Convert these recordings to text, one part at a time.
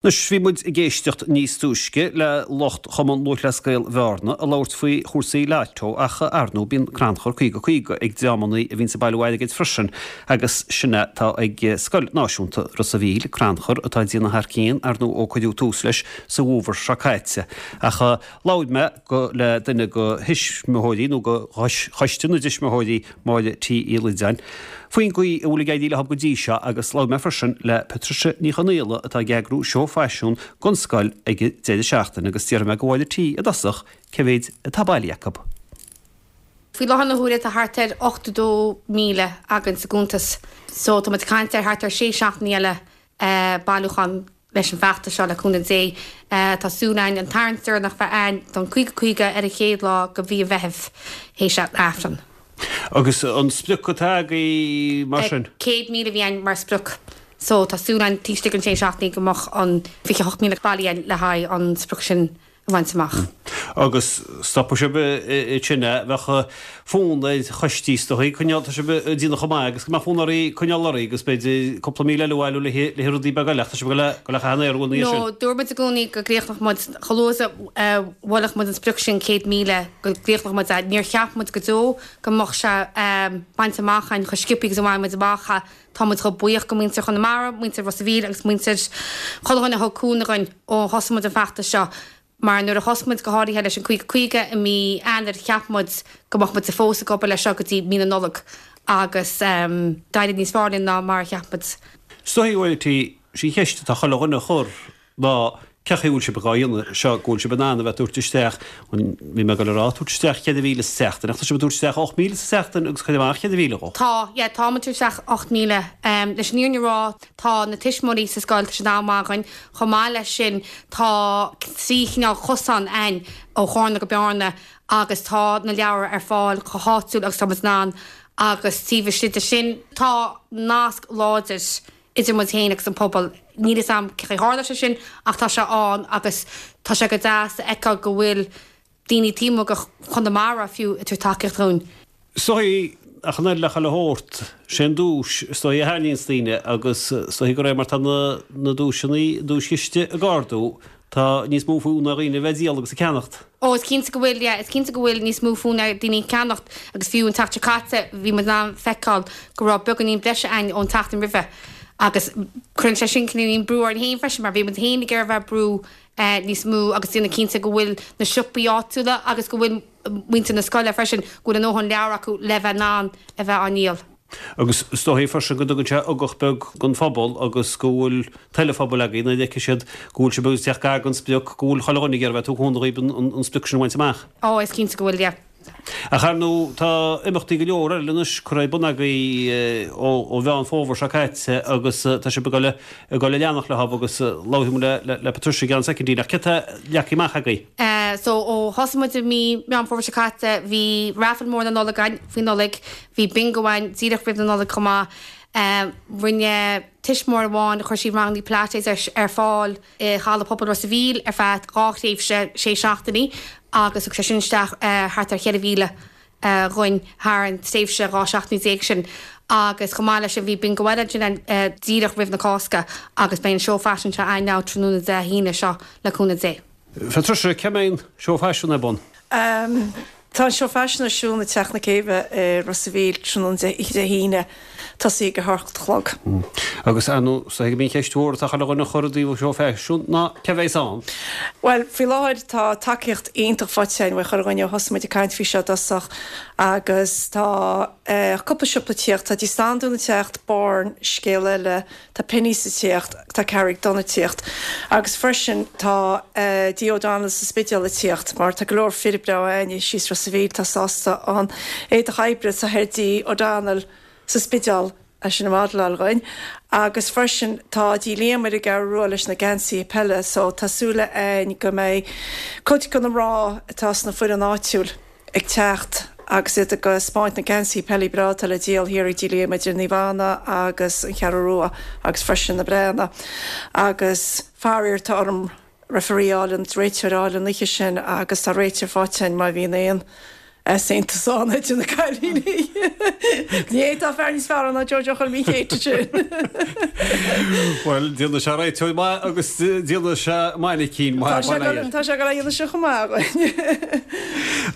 Anois, bhí muid ag éisteacht níos túisce le lucht Chumann Lúthchleas Gael Bhearna ag labhairt faoi chúrsaí Lotto ach, ar ndóigh, bíonn crannchur 50 50 ag dreamannaí a bhíonns ag bailiú airgid freisin agus sin é atá ag Scoil Náisiúnta Ros a' Mhíl, crannchur atá ag déanamh thar cionn, ar ndóigh, ó cuireadh tús leis sa bhfómhar seo caite. Ach labhair mé le duine de thuismitheoirí nó de choiste na dtuismitheoirí, Máire T. Uí Loideáin, faoin gcaoi a bhfuil ag éirí leo go dtí seo agus labhair mé freisin le Patricia Ní Chonaola atá ag eagrú seó faisean don scoil ag an deireadh seachtaine agus d'fhiafraigh mé de Mháire T i dtosach cé mhéid atá bailithe acu. Faoi láthair na huaire tá thart ar 82,000 againn sa gcuntas so tá muid ag caint ar thart ar sé seachtainí eile bailiúchán leis an bhfeachtas seo, le cúnamh Dé. Tá súil againn an tarraingt deireanach bheith againn don 50 50 ar an chéad lá de mhí an Mheithimh théis an Aifreann. Agus an sprioc atá agaibh mar sin? 100,000 a bhí againn mar sprioc so tá súil againn taobh istigh den sé seachtainí go mbeadh an 28,000 bailithe againn le haghaidh an sprioc sin a bhaint amach. Agus stopfaidh sibh ansin é, bheadh fonn ar choistí is dóigh coinneáil, tá sibh ag déanamh chomh maith agus go mbeadh fonn oraibh coinneáil oraibh agus b'fhéidir cúpla míle eile a bhailiú le haghaidh rudaí beaga eile ach tá sibh ag dul le caitheamh an aer ina dhiaidh sin. No, dúirt muid i gcónaí go gcríochnódh muid, chomh luath is a bhuailfeadh muid an sprioc sin 100,000, go gcríochnódh muid é. Níor cheap muid go deo go mbeadh sé bainte amach againn chomh sciobtha agus a bhain muid amach é. Tá muid chomh buíoch go muintir Chonamara, muintir Ros a' Mhíl agus muintir chuile dhuine a thug cúnamh dhuinn ó thosaigh muid an feachtas seo mar nuair a thosaigh muid go háirithe leis an 50 50 i mí Eanáir cheap muid go mbeadh muid fós ag obair leis seo go dtí mí na Nollag agus d'éirigh níos fearr linn ná mar a cheap muid. Is dóigh, a Mháire T, sí an cheist atá chuile dhuine a chur ná cé chaoi a bhfuil sibh dhá dhéanamh seo, go bhfuil sibh in ann a bheith ag tabhairt isteach, bhí mé ag dul a rá, tabhairt isteach 4,000 sa tseachtain, ach tá sibh ag tabhairt isteach 8,000 sa tseachtain agus cur amach 4,000 dhó. Tá, yeah, tá muid ag tabhairt isteach 8,000. Leis an fhírinne a rá, tá na tuismitheoirí sa scoil, tá siad an-mhaith againn. Chomh maith leis sin, tá trí chineál cosán a'inn ó Chárna go Bearna agus tá na leabhair ar fáil chomh háitiúil agus tá muid in ann agus taobh istigh de sin, tá nasc láidir idir muid féin agus an pobal. Níl fhios a'm cé chaoi a tharla sé sin ach tá sé ann agus tá sé go deas a fheiceáil go bhfuil daoine taobh amuigh de Chonamara fiú ag tabhairt tacaíocht dhúinn. Is dóigh, ach an oiread le chuile shórt, sé an duais is dóigh a tharraingíonns daoine agus is dóigh de réir mar tá na duaiseanna, duaischiste ag ardú, Tá níos mó fonn ar dhaoine a bheith ag díol agus ag ceannacht. Ó, is cinnte go bhfuil, yeah, is cinnte go bhfuil níos mó fonn ar daoine ceannacht agus fiú an tseachtain seo caite bhí muid in ann feiceáil go raibh beagáinín breise a'inn ón tseachtain roimhe agus cuireann sé sin cineáilín brú orainn féin freisin mar bhí muid féin ag iarraidh a bheith ag brú níos mó agus déanamh cinnte go bhfuil na siopaí áitiúla agus go bhfuil muintir na scoile freisin, go bhfuil a ndóthain leabhar acu le bheith in ann a bheith á ndíol. Agus is dóigh freisin go dtugann sé ugach beag don phobal agus go bhfuil toil an phobail agaibh nuair a fheicfidh siad go bhfuil sibh ag teacht gar don sprioc, go bhfuil chuile dhuine ag iarraidh a bheith ag tabhairt cúnamh dhaoibh an sprioc sin a bhaint amach. Ó, is cinnte go bhfuil, yeah. Ach ar ndóigh tá imeachtaí go leor eile anois curtha ar bun agaibh ó Mheán Fómhair seo caite agus tá sibh ag dul ag dul a leanacht leo agus labharfaidh muid le Patricia i gceann soicindín ach céard atá leagtha amach agaibh? So ó thosaigh muid i mí Meán Fómhair seo caite bhí raffle mór na Nollag againn faoi Nollaig, Bhí bingo againn díreach roimh na Nollag chomh maith. Rinne tuismitheoir amháin, chuir sí rangannaí Pilates ar fáil i Halla Pobail Ros a' Mhíl ar feadh dhá thréimhse sé seachtainí agus thug sé sin isteach thart ar 4,000 dhuinn thar an tréimhse 12 seachtainí sin. Agus chomh maith leis sin bhí bingo eile ansin díreach roimh na Cásca agus beidh an seó faisin seo againn now tráthnóna Dé hAoine seo le cúnamh Dé. Patricia, cá mbeidh an seó faisin ar bun? Tá an seó faisin ar siúl i dTeach na Céibhe i Ros a' Mhíl tráthnóna oíche Dé hAoine, tosaí ag a hocht a chlog. Agus ar ndóigh, is dóigh gurb í an cheist mhór atá chuile dhuine a chur i dtaobh an seó faisin ná cé a bheas ann? Bhuel, faoi láthair tá tacaíocht iontach faighte againn uaidh chuile dhuine ó thosaigh muid ag caint faoi seo i dtosach agus tá cúpla siopa ag tíocht, tá Dí Standún ag teacht, Born, Scéal Eile, Tá Penneys ag tíocht, tá Carraig Donn ag tíocht agus freisin tá Dí O'Donnell sa Spidéal ag tíocht mar tá go leor fir breá a'inne síos Ros a' Mhíl atá sásta an éadach oibre atá ar Dí O'Donnell sa Spidéal eisean a mhodel-áil dhuinn agus freisin tá Dí Liam ar an gCeathrú Rua leis na geansaithe peile so tá súil a'inn go mbeidh cuid de na mná atá sna foireann áitiúil ag teacht agus iad ag 'spáint na geansaithe peile breá atá le díol thiar ag Dí Liam idir Naomh Anna agus an Cheathrú Rua agus freisin na Breathnaigh. Agus faraor tá orm referee a fháil, an réiteoir a fháil an oíche sin agus tá réiteoir faighte againn má bhíonn aon. Easaontas ann idir na cailíní. Ní fhéadfá fear níos fearr ná Joe Joe Choilm Uí Chéide sin. Bhuel, déanfaidh sé réiteoir maith agus déanfaidh sé mainicín maith. Tá sé tá sé ag dul a dhéanamh sin chomh maith againn.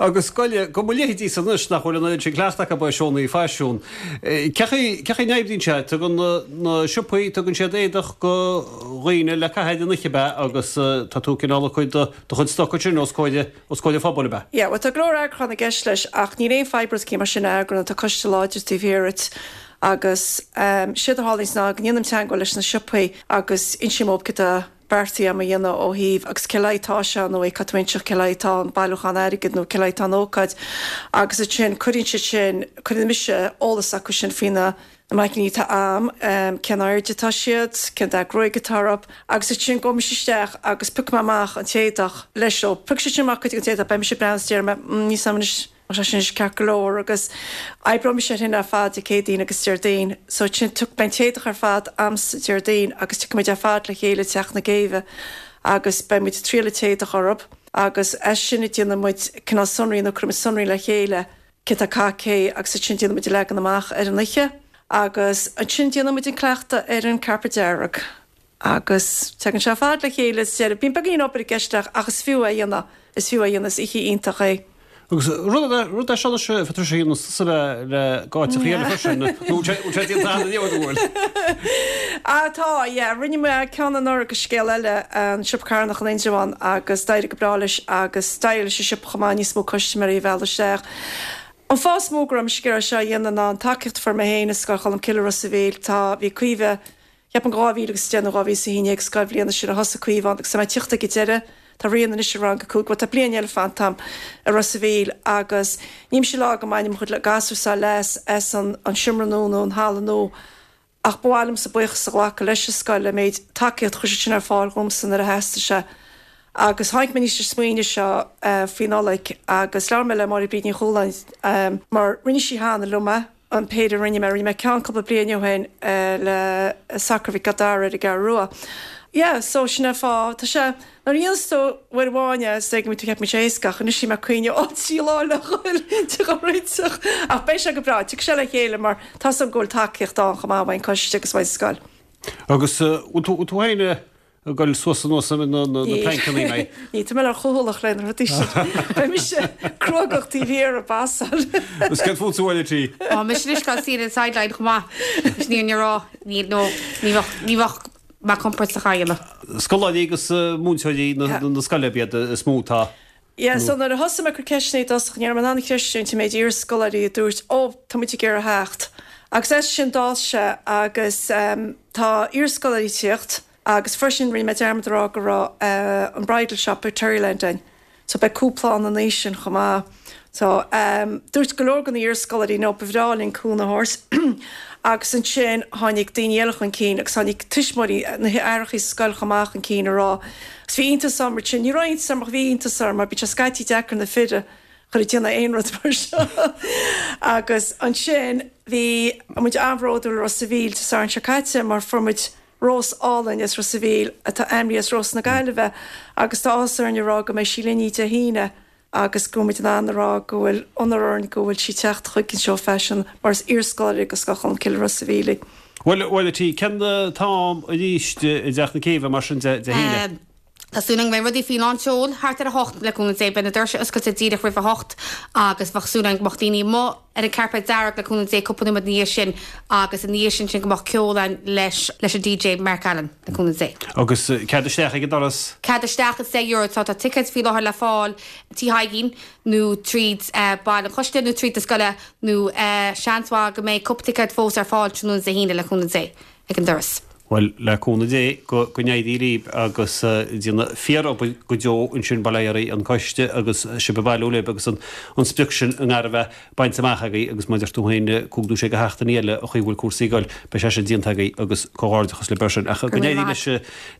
Agus goile, go mba leithéidí san anois nach bhfuil an oiread sin cleachta acu ar seónna faisiún. Cén chaoi cén chaoi a n-oibríonn sé? Tugann na siopaí, tugann siad éadach go dhaoine le caitheamh ar an oíche ab ea agus tá tú cineál ag cur do chuid stoc ansin os comhair Os comhair an phobail, ab ea? Yeah, bhuel tá go leor eagrúchán i gceist leis ach níl aon fadhb rud mar sin a eagrú nó tá coiste láidir taobh thiar dhuit agus séard a tharlaíonns ná go ndéanaim teagmháil leis na siopaí agus insím dóibh céard atá beartaithe agam a dhéanamh ó thaobh agus cé le haghaidh atá sé nó cad tá inseacht cé le haghaidh atá an bailiúchán airgid nó cé le haghaidh atá an ócáid agus ansin cuireann siad sin, cuireann mise eolas acu sin faoi na Na mainicíní atá a'm, cén airde atá siad, cén dath gruaige atá orthu, agus ansin gabhfaidh mise isteach agus piocfaidh mé amach an t-éadach leis leo. Piocfaidh siad sin amach cuid den t-éadach, beidh mise ag breathnú is déarfaidh mé, mm, níl 'fhios a'm anois, an sé sin anois ceart go leor agus oibreoidh mise air sin ar fad Dé Céadaoin agus Déardaoin. So ansin beidh an t-éadach ar fad a'msa Déardaoin agus tiocfaidh muid ar fad le chéile i dTeach na Céibhe agus beidh muid ag triail an t-éadach orthu agus as sin déanfaidh muid cineál sonraí nó cuirfidh muid sonraí le chéile cé atá ag caitheamh cé agus ansin déanann muid an leagan amach ar an oíche agus ansin déanann muid an cleachtadh ar an carpet dearg agus tagann sé ar fad le chéile sa deireadh. Bíonn beagáinín obair i gceist ach ach is fiú é a dhéanamh, is fiú é a dhéanamh, is oíche iontach é. Agus rud rud é seo anois a Phatricia a dhéanann tusa le le áiteachaí eile freisin nó bhfuil sé bhfuil sé déanta cheana inniu an bhfuil? Ah tá, yeah, rinne mé ceann anuraidh do Scéal Eile, an Siopa Carthanach in Indreabhán agus d'éirigh go breá leis agus d'éirigh leis an siopa chomh maith níos mó custaiméirí a mhealladh isteach. An fáth is mó go raibh mise ag iarraidh seo a dhéanamh ná an tacaíocht a fuair mé féin i Scoil Cholmcille i Ros a' Mhíl. Tá, bhí Caoimhe, cheapfainn 2010 nó 2011 scoilbhliana sin a thosaigh Caoimhe ann agus tá mé ag tíocht ag an deireadh, tá Ríona anois i rang a 5, bhuel tá bliain eile fanta a'm i Ros a' Mhíl agus ní mise ag rá go mbaineann mo chuid gasúr seo leas as an seomra nua nó an halla nua Ach ba mhaith liomsa buíochas a ghlacadh leis an scoil an méid tacaíocht a chuir siad sin ar fáil dhomsa nuair a theastaigh sé. Agus tháinig mé aníos leis an smaoineamh seo faoi Nollaig agus labhair mé le Máire Bríd Ní Chualáin mar rinne sí cheana liom é, an péire a rinne mé, rinne mé ceann cúpla bliain ó shin le Sacar Mhic Giolla Dara ar an gCeathrú Rua. Yeah, so sin é an fáth. Tá sé. Nuair a dhéanas tú uair amháin é, is dóigh go mbíonn tú ag ceapadh go mbíonn sé éasca, ach anois bhí mé ag cuimhneamh, ó, 3 lá le dhul de réiteach. Ach beidh sé go breá, tiocfaidh sé le chéile mar tá 's agam go bhfuil tacaíocht ann chomh maith uaidh an coiste agus uaidh an scoil. Agus bhfuil tú, bhfuil tú féin ag dul suas anuas na pleainceanna, mé? Ní, tá mé lear-chúthaileach le na rudaí sin. Beidh mise cruógach taobh thiar ag pasáil. Agus céard fútsa a Mháire T? Tá mise anois ag dul suí ar an sideline chomh maith. Is ní ní raibh, ní, no, ní bheadh, ní bheadh mé compordach á dhéanamh. Scoláirí agus múinteoirí na scoile ab iad is mó atá. Yeah, so nuair a thosaigh mé ag cur ceisteanna i dtosach, ní raibh mé in ann a chreistiúint an méid iarscoláirí a dúirt, oh, tá muid ag iarraidh theacht. Agus as sin d'fhás sé agus tá iarscoláirí ag tíocht agus freisin rinne mé dearmad a rá go raibh an bridal shop ag Terryland ann. So beidh cúpla ann an oíche sin chomh maith. So dúirt go leor de na hiarscoláirí no ba bhreá linn cúnamh a thabhairt agus ansin tháinig daoine eile chun cinn agus tháinig tuismitheoirí, na haithreachaí sa scoil chomh maith chun cinn a rá agus bhí iontas orm mar sin, ní raibh iontas orm ach bhí iontas orm mar bíonn sé scaití deacair na fir a chur ag déanamh aon rud mar seo agus ansin bhí muid an-bhródúil i Ros a' Mhíl Dé Sathairn seo caite mar fuair muid rós álainn as Ros a' Mhíl atá ainmnithe as Rós na Gaillimhe agus tá áthas orainn a rá go mbeidh sí linn Dé hAoine agus go bhfuil muid in ann a rá go bhfuil onóir orainn go bhfuil sí ag teacht chuig an seó faisin mar is iarscoláire de Scoil Cholmcille Ros a' Mhíl í. Bhuel, a Mháire T, cén t-am arís i dTeach na Céibhe mar sin de Dé hAoine? Tá súil againn go mbeidh rudaí faoi lán tseoil thart ar a hocht, le cúnamh Dé. Beidh na doirse oscailte díreach roimh a hocht agus bheadh súil againn go mbeadh daoine amuigh ar an carpet dearg le cúnamh Dé cúpla nóiméad ina dhiaidh sin agus ina dhiaidh sin sin go mbeadh ceol ann leis leis an DJ Mark Allen, le cúnamh Dé. Agus cead isteach ag an doras? Cead isteach is €10 tá tá ticéid faoi láthair le fáil Tí Thaidhgín nó tríd baill an choiste nó tríd na scoile nó seans mhaith go mbeidh cúpla ticéad fós ar fáil tráthnóna Dé hAoine le cúnamh Dé. ag an doras. Bhuel, le cúnamh Dé, go n-éirí libh agus déanamh fíor-obair go deo ansin, bail ó Dhia ar an coiste agus sibh ag bailiú libh agus an sprioc sin i ngar a bheith bainte amach agaibh agus mar a deir tú féin, cúig nó sé de sheachtainí eile an chaoi a bhfuil cúrsaí ag goil, beidh sé sin déanta agaibh agus comhghairdeachas libh air sin. Ach go n-éirí leis,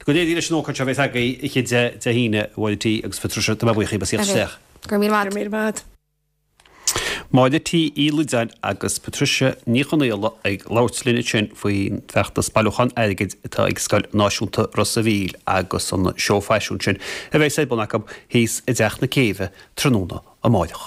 go n-éirí leis an ócáid seo a bheas agaibh oíche Dé Dé hAoine, a Mháire T agus a Phatricia, tá mé buíoch díbh as theacht isteach. Go raibh míle maith. Go raibh míle maith. Máire T. Uí Loideáin agus Patricia Ní Chonaola ag labhairt linn ansin faoin bhfeachtas bailiúchán airgid atá ag Scoil Náisiúnta Ros a' Mhíl agus an seó faisiún sin a bheas ar bun acu thíos i dTeach na Céibhe tráthnóna amáireach.